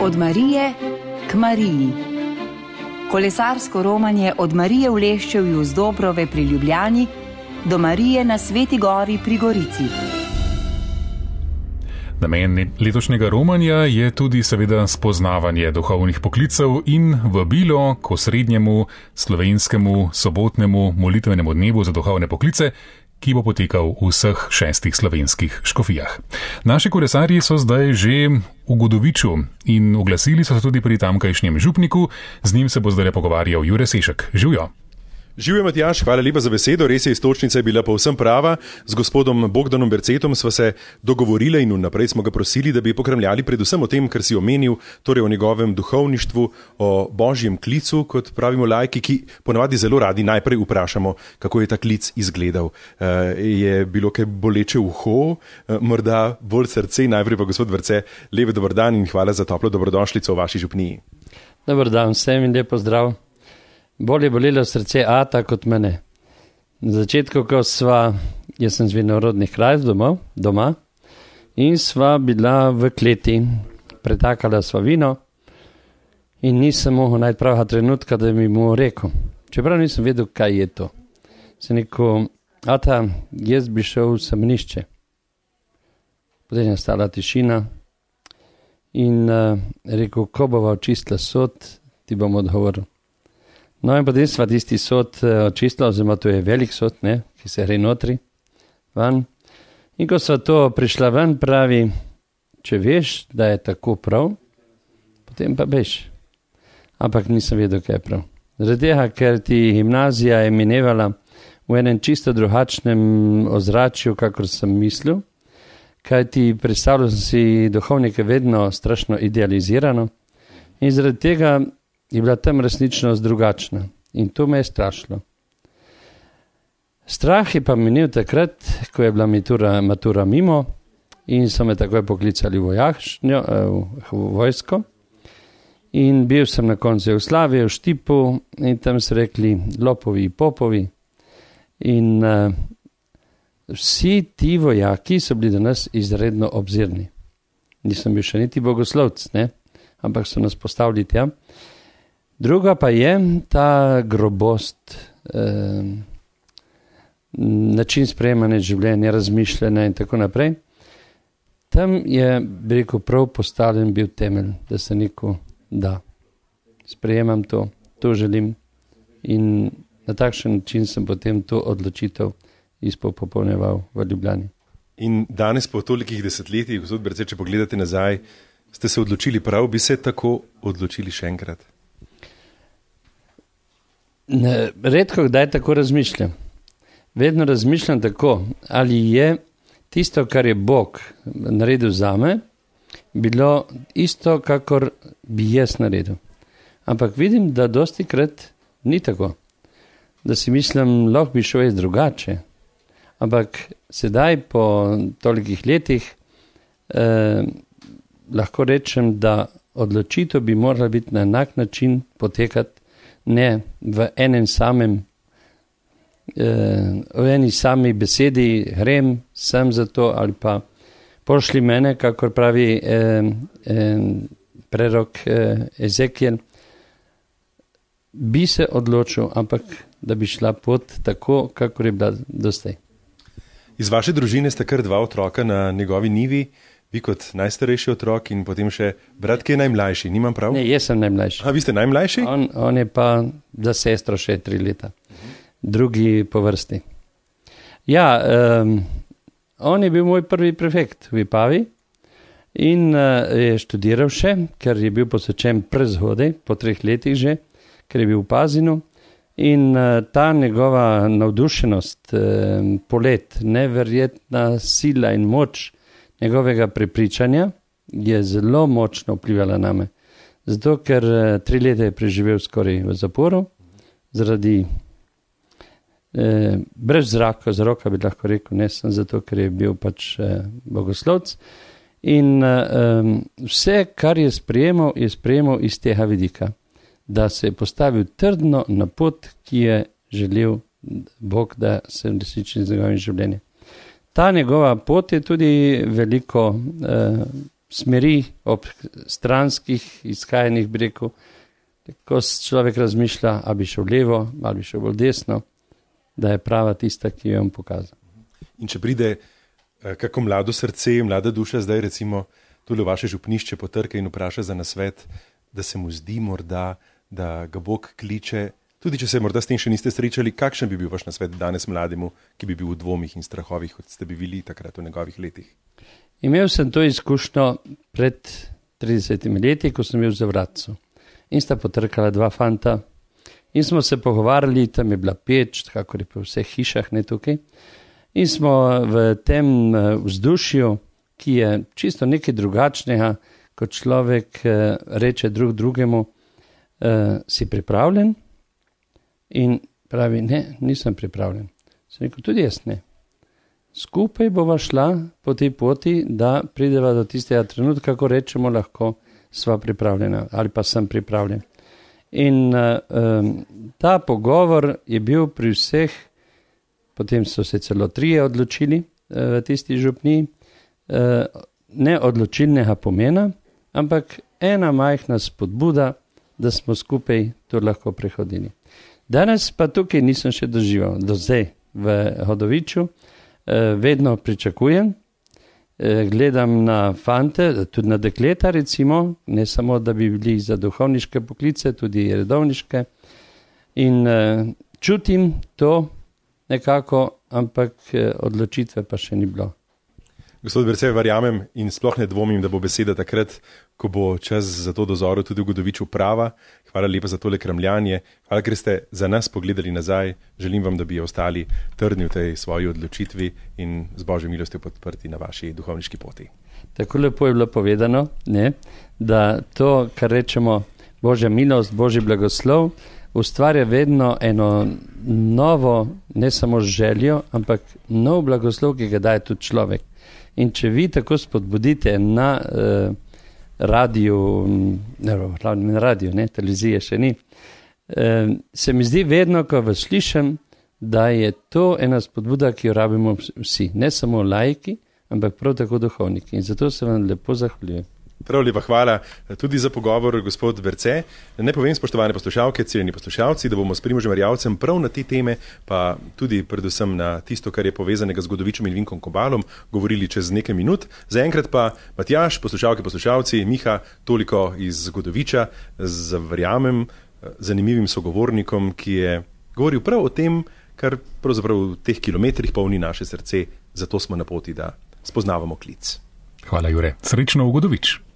Od Marije k Mariji. Kolesarsko romanje od Marije v Leščevju z Dobrove pri Ljubljani do Marije na Sveti Gori pri Gorici. Namen letošnjega romanja je tudi seveda spoznavanje duhovnih poklicev in vabilo k osrednjemu slovenskemu sobotnemu molitvenemu dnevu za duhovne poklice, ki bo potekal v vseh 6 slovenskih škofijah. Naši kolesarji so zdaj že v Godoviču in oglasili so se tudi pri tamkajšnjem župniku. Z njim se bo zdaj pogovarjal Jure Sešek. Živjo! Živjo, Matjaž, hvala lepa za besedo. Res je, iztočnica je bila povsem prava. Z gospodom Bogdanom Bercetom sva se dogovorili in vnaprej smo ga prosili, da bi pokramljali predvsem o tem, kar si omenil, torej o njegovem duhovništvu, o božjem klicu, kot pravimo laiki, ki ponavadi zelo radi najprej vprašamo, kako je ta klic izgledal. Je bilo kaj boleče uho, morda bolj srce? Najprej pa gospod Berce, lep dober dan in hvala za toplo dobrodošlico v vaši župniji. Dobar dan vsem in lepo zdrav. Bolje bolelo srce Ata kot mene. Na začetku, ko jaz sem z vinorodnih krajev doma in sva bila v kleti, pretakala sva vino in nisem mogel najti pravega trenutka, da bi mu rekel. Čeprav nisem vedel, kaj je to. Sem rekel, Ata, jaz bi šel v semenišče. Potem je stala tišina in rekel, ko bova očistila sod, ti bom odgovoril. No in potem sva tisti sod očistila, oziroma to je velik sod, ki se gre notri, van. In ko sva to prišla ven, pravi, če veš, da je tako prav, potem pa beš. Ampak nisem vedel, kaj je prav. Zaradi tega, ker ti gimnazija je minevala v enem čisto drugačnem ozračju, kakor sem mislil, kaj ti predstavljal sem si duhovnike vedno strašno idealizirano in zaradi tega je bila tam resničnost drugačna in to me je strašilo. Strah je pa minil takrat, ko je bila matura mimo in so me takoj poklicali v vojsko in bil sem na koncu Jugoslavije v Štipu in tam so rekli lopovi, popovi in vsi ti vojaki so bili do nas izredno obzirni. Nisem bil še niti bogoslovc, ampak so nas postavili tja. Druga pa je ta grobost, način sprejemanja življenja, razmišljanja in tako naprej. Tam je, bi rekel, prav postavljen bil temelj, da se neko da. Sprejemam to želim in na takšen način sem potem to odločitev izpopolnjeval v Ljubljani. In danes po tolikih desetletjih, gospod Berce, če pogledate nazaj, ste se odločili prav, bi se tako odločili še enkrat? Redko kdaj tako razmišljam. Vedno razmišljam tako, ali je tisto, kar je Bog naredil zame, bilo isto, kakor bi jaz naredil. Ampak vidim, da dostikrat ni tako. Da si mislim, lahko bi šel jaz drugače. Ampak sedaj, po tolikih letih, lahko rečem, da odločitev bi morala biti na enak način potekati, ne v enem samem, v eni sami besedi, grem sem za to ali pa pošli mene, kakor pravi prerok Ezekiel, bi se odločil, ampak da bi šla pot tako, kakor je bila dostaj. Iz vaše družine sta kar 2 otroka na njegovi njivi, vi kot najstarejši otrok in potem še brat, ki je najmlajši, nimam prav? Ne, jaz sem najmlajši. A vi ste najmlajši? On je pa za sestro še 3 leta. Drugi po vrsti. Ja, on je bil moj prvi prefekt v Vipavi in je študiral še, ker je bil posvečen prezgodaj, po 3 letih že, ker je bil v Pazinu. In ta njegova navdušenost, polet, neverjetna sila in moč njegovega prepričanja je zelo močno vplivala na me. Zato, ker 3 leta je preživel skoraj v zaporu, zaradi brez zraka bi lahko rekel, ne sem zato, ker je bil pač bogoslovc. In vse, kar je sprejemal iz tega vidika, da se je postavil trdno na pot, ki je želel Bog, da se resniči z njegovim življenjem. Ta njegova pot je tudi veliko smeri, ob stranskih izhajanjih breku, ko človek razmišlja, ali bi šel levo, ali bi šel bolj desno, da je prava tista, ki jo bom pokazal. In če pride kako mlado srce, mlada duša, zdaj recimo tudi v vaše župnišče potrka in vpraša za nasvet, da se mu zdi morda, da ga Bog kliče, tudi če se morda s tem še niste srečali, kakšen bi bil vaš nasvet danes mlademu, ki bi bil v dvomih in strahovih, kot ste bi bili takrat v njegovih letih? Imel sem to izkušnjo pred 30 leti, ko sem bil v Zavratcu. In sta potrkala dva fanta in smo se pogovarjali, tam je bila peč, kakor je po vseh hišah, ne tukaj. In smo v tem vzdušju, ki je čisto nekaj drugačnega, kot človek reče drug drugemu, si pripravljen? In pravi, ne, nisem pripravljen. Sem rekel, tudi jaz ne. Skupaj bova šla po tej poti, da prideva do tistega trenutka, ko rečemo lahko, sva pripravljena ali pa sem pripravljen. In ta pogovor je bil pri vseh, potem so se celo 3 odločili v tisti župniji, ne odločilnega pomena, ampak ena majhna spodbuda, da smo skupaj to lahko prehodili. Danes pa tukaj nisem še doživel, do zdaj v Hodoviču, vedno pričakujem, gledam na fante, tudi na dekleta recimo, ne samo, da bi bili za duhovniške poklice, tudi redovniške in čutim to nekako, ampak odločitve pa še ni bilo. Gospod Berce, verjamem in sploh ne dvomim, da bo beseda takrat, ko bo čas za to dozoro tudi v Godoviču prava. Hvala lepa za tole kramljanje. Hvala, ker ste za nas pogledali nazaj. Želim vam, da bi ostali trdni v tej svoji odločitvi in z Božjo milostjo podprti na vaši duhovniški poti. Tako lepo je bilo povedano, ne, da to, kar rečemo Božja milost, Božji blagoslov, ustvarja vedno eno novo, ne samo željo, ampak nov blagoslov, ki ga daje tudi človek. In če vi tako spodbudite na radiju, televizije še ni, se mi zdi vedno, ko vas slišim, da je to ena spodbuda, ki jo rabimo vsi, ne samo laiki, ampak prav tako duhovniki. In zato se vam lepo zahvaljujem. Prav lepa hvala tudi za pogovor, gospod Berce. Ne povem, spoštovane poslušalke, cenjeni poslušalci, da bomo s Primožem Erjavcem prav na te teme, pa tudi predvsem na tisto, kar je povezanega z Godovičem in Vinkom Kobalom, govorili čez nekaj minut. Zaenkrat pa Matjaž, poslušalke, poslušalci, Miha, toliko iz Godoviča, z verjamem zanimivim sogovornikom, ki je govoril prav o tem, kar pravzaprav v teh kilometrih polni naše srce, zato smo na poti, da spoznavamo klic. Hvala, Jure. Srečno v Godovič.